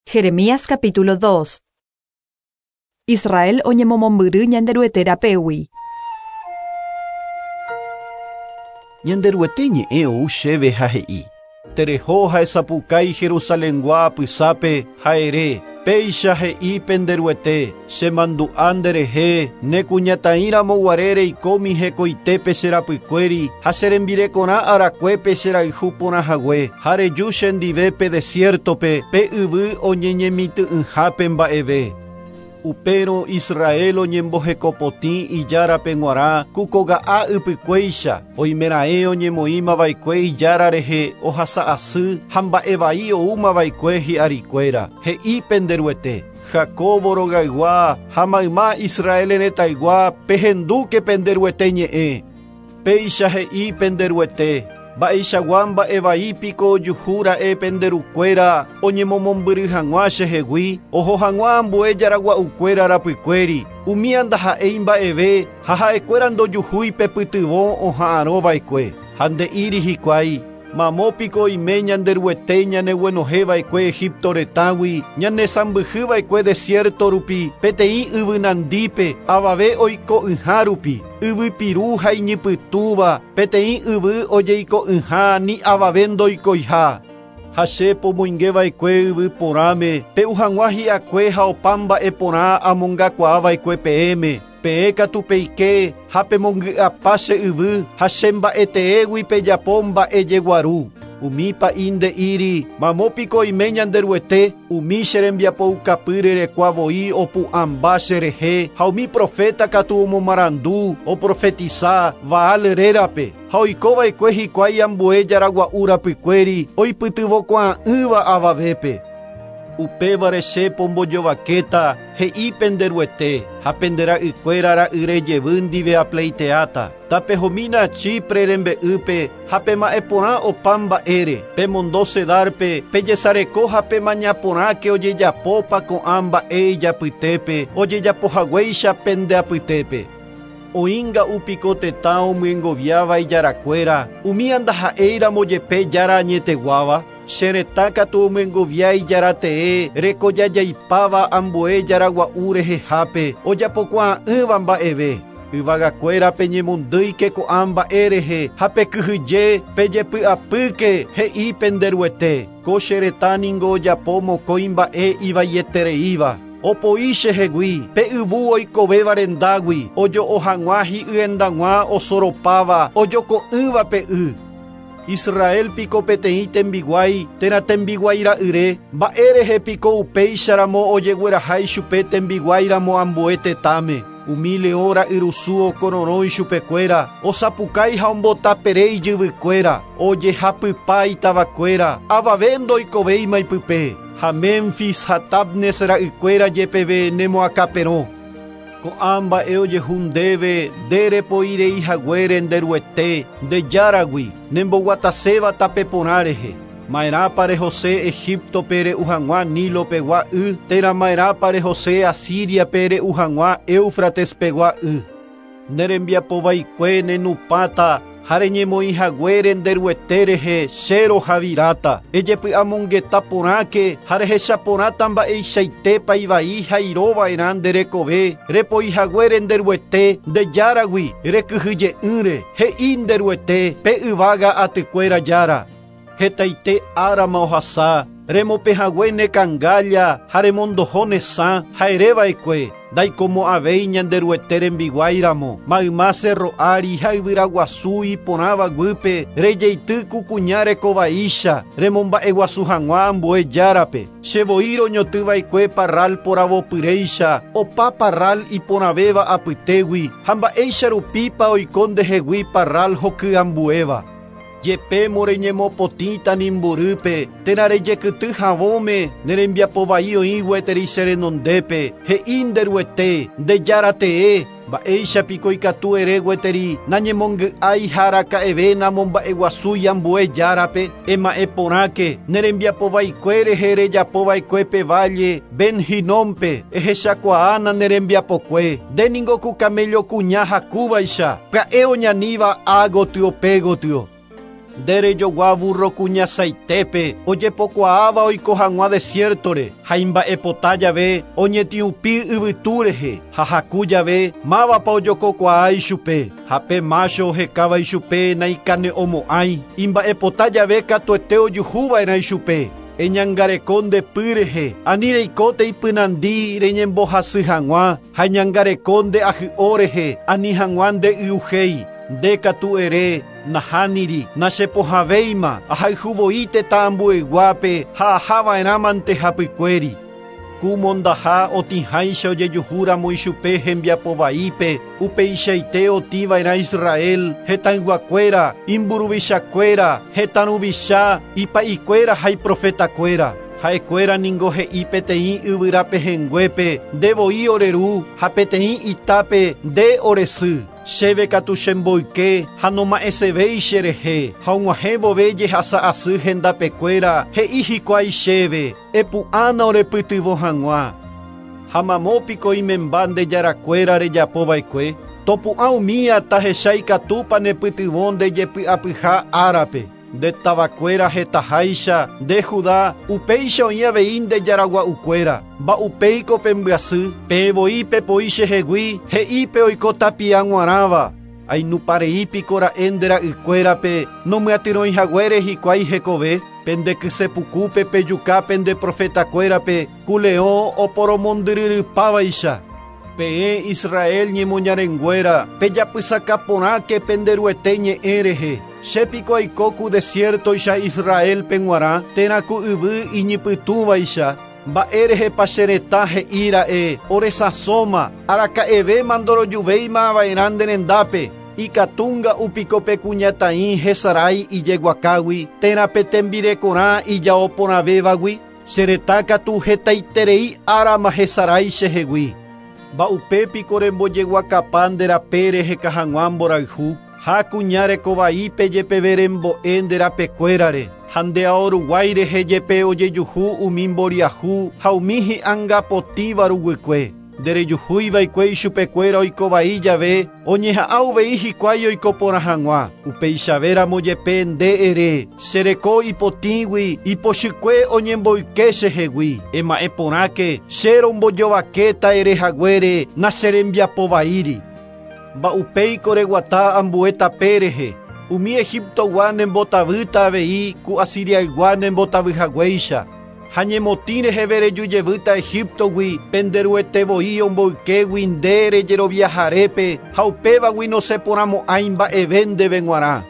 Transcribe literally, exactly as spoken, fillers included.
Jeremías capítulo dos. Israel oñemomombyry Ñanderuete rapégui. Ñanderuete ñe'ẽ ou chéve ha he'i. Tereho ha esapukái Jerusalengua apysápe ha ere. Péicha he'i penderuete, chemandu'a nderehe, ne kuñataĩramo guare reikómi hekoitépe che rapykuéri ha che rembirekorã arakuépe che rayhu porã hague, ha reju chendive pe desiertope, pe yvy oñeñemitỹ'ỹhápe mba'eve. Upérõ Israel oñembohekopotĩ ijárape g̃uarã kukoga'a ypykuéicha, oimeraẽ oñemoĩmava'ekue ijára rehe ohasa'asy ha mba'evai oúmava'ekue hi'arikuéra. He'i penderuete, Jacobo rogaygua ha mayma Israel retaygua pehendúke penderuete ñe'ẽ. Péicha he'i penderuete, mba'eichagua mba'evaípiko ojuhúra'e penderukuéra oñemomombyry hag̃ua chehegui, oho hag̃ua ambue jaragua'ukuéra rapykuéri, umi andaha'éi mba'eve ha ha'ekuéra ndojuhúi pepytyvõ oha'arõva'ekue. Ha nde'íri hikuái, mamópiko oime Ñanderuete ñaneguenohẽva'ekue Egipto retãgui, ñanesãmbyhyva'ekue desierto rupi, peteĩ yvynandípe, avave oiko'ỹha rupi, yvypiru ha iñypytũva, peteĩ yvy ojeiko'ỹha ni avave ndoikoiha. Ha che pomoingeva'ekue yvy porãme, pe'u hag̃ua hi'akue ha opa mba'e porã amongakuaava'ekue peẽme. Peẽ katu peike ha pemongy'apa che yvy ha che mba'eteégui pejapo mba'e jeguaru. Umi pa'i nde'íri, mamópiko oime Ñanderuete, umi che rembiapoukapy rerekua voi opu'ãmba cherehe ha umi profeta katu omomarandu, oprofetisa Baal rérape ha oikova'ekue hikuái ambue jaragua'u rapykuéri oipytyvõkuaa'ỹva avavépe. Upévare che pombojovakéta he'i penderuete ha pendera'ykuéra ra'yre jevy ndive apleiteáta. Tapehomína Chipre rembe'ýpe ha pema'ẽ porã opa mba'ére, pemondo Cedarpe, pejesareko ha pemaña porãke ojejapópa ko'ã mba'e ijapytépe, ojejapohaguéicha pende apytépe. Oĩnga'úpiko tetã omyengoviáva ijarakuéra, umi andaha'éiramo jepe jára añeteguáva, che retã katu omyengovia ijaratee rekojajaipáva ambue jaragua'u rehehápe, ojapokuaa'ỹva mba'eve. Yvagakuéra peñemondýike ko'ã mba'e rehe ha pekyhyje pejepy'apýke he'i penderuete. Ko che retã ningo ojapo mokõi mba'e ivaietereíva. Opoi chehegui, pe yvu oikovéva rendágui, ojo'o hag̃ua hi'yendag̃ua osoropáva, ojoko'ỹva pe y. Israel piko peteĩ tembiguái térã tembiguái ra'yre, mba'e rehe piko upéicharamo ojeguerahái chupe tembiguáiramo ambue tetãme. Umi leõ ra'yrusu okororõ ichupekuéra, osapukái ha ombotapere ijyvykuéra, ojehapypa itavakuéra, avave ndoikovéima ipype. Ha Memphis ha Tabnes ra'ykuéra jepeve nemoakaperõ. Ko'ã mba'e ojehu ndéve nderepoirei haguére nderuete ndejáragui nemboguataséva tape porã rehe. Ma'erãpa rehose Egiptope re'u hag̃ua Nilo pegua y, térã ma'erãpa rehose Asiriape re'u hag̃ua Éufrates pegua y. Nerembiapovaikue nenupãta ha reñemoĩ haguére nderuete rehe che rohaviráta. Ejepy'amongeta porãke ha rehechaporãta mba'eichaitépa ivai ha irova'erã nderekove, repoi haguére nderuete ndejáragui rekyhyje'ỹre, he'i nderuete pe yvága atykuéra jára. Hetaite árama ohasa, remopehague ne kangálla ha remondoho ne sã ha ereva'ekue, ndaikomo'ãvéi Ñanderuete rembiguáiramo, mayma cerro ári ha yvyraguasu iporãva guýpe, rejeity kukuña rekovaícha, remomba'eguasu hag̃ua ambue járape. Che voi roñotyva'ekue parral poravopyréicha, opa parral iporãvéva apytégui, ha mba'éicha rupípa oiko ndehegui parral hokyambuéva. Jepémo reñemopotĩta nimborýpe, térã rejekyty havõme, nerembiapovai oĩ gueteri che renondépe, he'i nderuete, ndejáratee, mba'éichapiko ikatu ere gueteri, nañemongy'ái ha araka'eve namomba'eguasúi ambue járape, ema'ẽ porãke, nerembiapovaikue rehe rejapova'ekue pe valle Ben-Hinómpe, ehechakuaána nerembiapokue, nde ku camello kuña hakúvaicha, pya'e oñaníva ágotyo pégotyo. Nderejogua burro kuñasaitepe ojepokuaáva oiko hag̃ua desiertore ha imba'epota jave oñetiupi yvytu rehe ha haku jave mávapa ojokokuaa ichupe ha pe mácho ohekáva ichupe naikane'õmo'ãi imba'epota jave katuete ojuhuva'erã ichupe. Eñangareko nde py rehe ani reikóte ipynandi reñembohasy hag̃ua ha eñangareko nde ahy'o rehe ani hag̃ua nde y'uhéi. Nde katu ere nahániri nachepohãvéima ahayhuvoi tetã ambueyguápe ha ahava'erãmante hapykuéri. Ku mondaha otĩháicha ojejuhúramo ichupe hembiapovaípe upeichaite otĩva'erã Israel hetãyguakuéra imburuvichakuéra hetã ruvicha ipa'ikuéra ha iprofetakuéra. Ha'ekuéra ningo he'i peteĩ yvyrapehenguépe ndevoi ore ru ha peteĩ itápe nde ore sy. Chéve katu chemboyke ha noma'ẽsevéi cherehe ha og̃uahẽ vove jehasa asy hendapekuéra he'i hikuái chéve epu'ãna orepytyvõ hag̃ua. Ha mamópiko imemba nde jarakuéra rejapova'ekue topu'ã umía tahecha ikatúpa nepytyvõ nde jepy'apyha árape. Nde tavakuéra hetaháicha nde Judá upéicha oĩ avei nde jaragua'ukuéra mba'upéiko pembyasy peẽvoi pepoi chehegui he'ípe oiko tapia g̃uarãva ainupareípiko ra'e nde ra'ykuérape nomyatyrõihaguére hikuái hekove pendekysepukupe pejuka pende profetakuérape ku leõ oporomondyryrypávaicha. Peẽ Israel ñemoñarenguéra pejapysakaporãke penderuete ñe'ẽ rehe. Chépiko aiko ku desiertoicha Israelpe g̃uarã térã ku yvy iñipytũvaicha mba'érehepa che retã he'íra'e oresãsóma araka'evéma ndorojuvéimava'erã nde rendápe ikatúnga upiko pe kuñataĩ hesarái ijeguakágui térã pe tembirekorã ijaoporãvévagui che retã katu hetaiterei árama hesarái chehegui. Mba'upépiko rembojeguakapa nde rape reheka hag̃ua mborayhu ha kuña rekovaípe jepeve rembo'e nde rapekuérare ha nde ao ruguái rehe jepe ojejuhu umi mboriahu ha umi hi'angapotĩva ruguykue. Nderejuhúiva'ekue ichupekuéra oikovai jave oñeha'ã uvei hikuái oiko porã hag̃ua. Upeichavéramo jepe nde ere chereko ipotĩgui ipochykue oñemboyke chehegui. Ema'ẽ porãke che rombojovakéta erehaguére nacherembiapovaíri. Mba'upéiko reguata ambue tape rehe umi Egiptogua nembotavýta avei ku Asiriaygua nembotavyhaguéicha. Ha ñemotĩ reheve rejujevýta Egiptogui penderuetevoi omboykégui nde rejeroviaharépe ha upévagui noseporãmo'ãi mba'eve ndéve g̃uarã.